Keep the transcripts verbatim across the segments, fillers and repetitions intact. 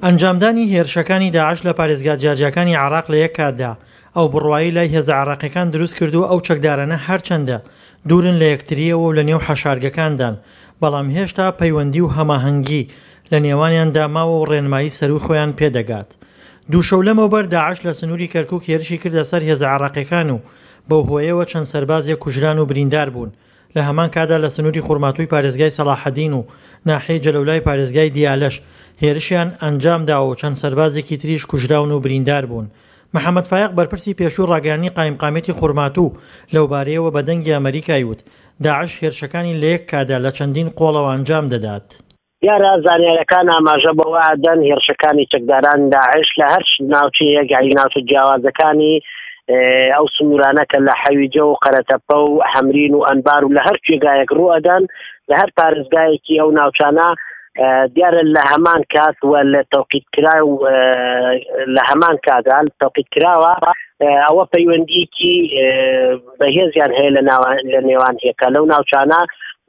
ئەنجامدانی هێرشەکانی داعش لە پارێزگا جیاجیاکانی عێراق لە یەک کاتدا ئەو بڕوایەی لای هێزە عێراقیەکان دروست کردووە ئەو چەکدارانە هەرچەندە دوورن لە یەکتریەوە و لە نێو حەشارگەکاندان بەڵام هێشتا پەیوەندی و هەماهەنگی لە نێوانیاندا ماوە و ڕێنمایی سەروو خۆیان پێدەگات. دوو شەو لەمەوبەر داعش لە سنووری کەرکوک هێرشی کردە سەر هێزە عێراقیەکان و بەو هۆیەوە چەند سەربازێک کوژران و بریندار بوون. لە هەمان کاتدا لە سنووری خورماتووی پارێزگای سەڵاحەدین و ناحیەی جەلەولای پارێزگای دیالەش هێرشیان ئەنجامداوە و چەند سەربازێکی تریش کوژراون و بریندار بوون. محەمەد فایەق بەرپرسی پێشووی ڕاگەیاندنی قایمقامیەتی خورماتوو لەوبارەیەوە بە دەنگی ئەمەریکای وت داعش هێرشەکانی لە یەک کاتدا لە چەندین قۆڵەوە ئەنجام دەدات. دیارە زانیاریەکان ئاماژە بەوە ئەدەن هێرشەکانی چەکداران داعش لە هەر ناوچەیەک یعنی ناوچە جیاوازەکانی ئەو سنوورانە کە لە حەویجە و قەرەتەپە و حەمرین و ئەنبار و لە هەر جێگایەک ڕوو ئەدەن لە هەر پارێزگایەکی ئەو ناوچانە دیارە لە هەمان کات و لە تەوقیت کرا و لە هەمان کاتدا تەوقیت کراوە ئەوە پەیوەندیکی بەهێزیان هەیە لە نێوان هێکە لەو ناوچانە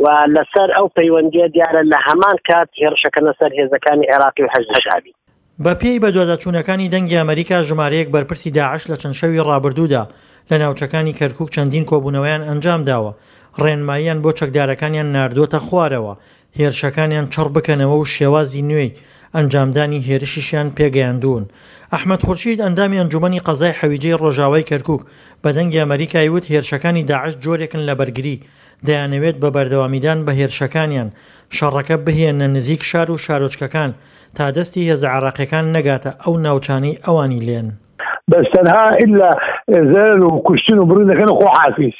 و لەسەر ئەو پەیوەندیە دیارە لە هەمان کات هێرشەکەنە سەر هێزەکانی عێراقی و حەشدی شەعبی. بە پێی بەدواداچوونەکانی دەنگی ئەمەریکا ژمارەیەک بەرپرسی داعش لە چەند شەوی ڕابردوودا لە ناوچەکانی کەرکوک چەندین کۆبوونەوەیان ئەنجامداوە، ڕێنماییان بۆ چەکدارەکانیان ناردووەتە خوارەوە هێرشەکانیان چڕ بکەنەوە و شێوازی نوێی ئەنجامدانی هێرشیشیان پێگەیاندوون. ئەحمەد خورشید ئەندامی ئەنجومەنی قەزای حەویجەی ڕۆژاوای کەرکوک بە دەنگی ئەمەریکای وت هێرشەکانی داعش جۆرێکن لە بەرگری، دەیانەوێت بە بەردەوامیدان بە هێرشەکانیان شەڕەکە بهێننە نزیک شار و شارۆچکەکان تا دەستی هێزە عێراقیەکان نەگاتە ئەو ناوچانەی ئەوانی لێن. بس تەنها إلا زلل و کوشتن و بڕین دەکەن خۆ حافیز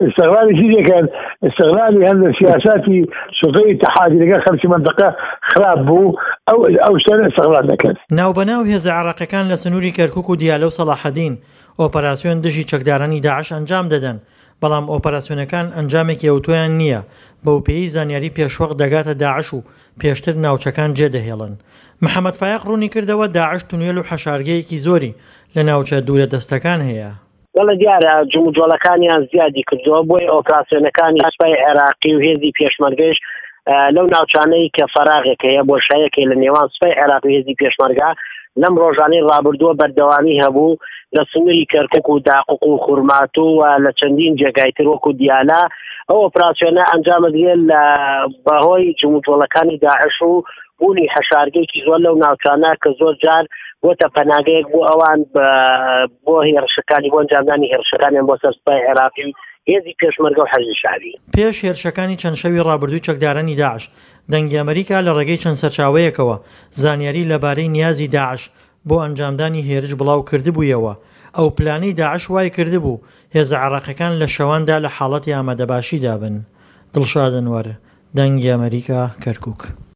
استغلالی چی دەکەن؟ استغلالی هەندێک سیاساتی سلطەی اتحادی لەگەڵ خەڵکی منطقە خراپ بوو ئەو ئەو شتانە استغلال دەکەن. ناوبەناو هێزە عێراقیەکان لە سنووری کەرکوک و دیالە و سەڵاحەدین ئۆپەراسیۆن دژی چەکدارانی داعش ئەنجام دەدەن، بەڵام ئۆپەراسیۆنەکان ئەنجامێکی ئەوتۆیان نییە، بەوپێیەی زانیاری پێشوەخت دەگاتە داعش و پێشتر ناوچەکان جێدەهێڵن. محەمەد فایەق ڕوونی کردەوە داعش تونێل و حەشارگەیەکی زۆری لە ناوچە دوورە دەستەکان هەیە. بەڵێ دیارە جموجۆڵەکانیان زیادی کردووە، بۆیە ئۆپراسیۆنەکانی سوپای عێراقی و هێزی پێشمەرگەش لەو ناوچانەی کە فەراغێک هەیە بۆشایەک هەیە لە نێوان سوپای عێراق و هێزی پێشمەرگە لەم ڕۆژانەی ڕابردووە بەردەوامی هەبوو لە سنووری کەرکوک و داقوق و خورماتوو و لە چەندین جێگای تر وەکو دیالە ئەو ئۆپراسیۆنە ئەنجام دەدرێت لە بەهۆی جموجۆڵەکانی داعش و بوونی حەشارگەیەکی زۆر لەو ناوچانە کە زۆر جار بۆتە پەناگەیەک بۆ ئەوان بۆ هێرشەکانی بۆ ئەنجامدانی هێرشەکانیان بۆ سەر سوپای عێراقی و هێزی پێشمەرگە و حەشدی شەعبی. پێش هێرشەکانی چەند شەوی ڕابردووی چەکدارانی داعش، دەنگی ئەمەریکا لە ڕێگەی چەند سەرچاوەیەکەوە زانیاری لەبارەی نیازی داعش بۆ ئەنجامدانی هێرش بڵاو کردبوویەوە. ئەو پلانەی داعش وای کردبوو هێزە عێراقیەکان لە شەواندا لە حاڵەتی ئامادەباشیدا بن. دڵشاد ئەنوەر، دەنگی ئەمەریکا، کەرکوک.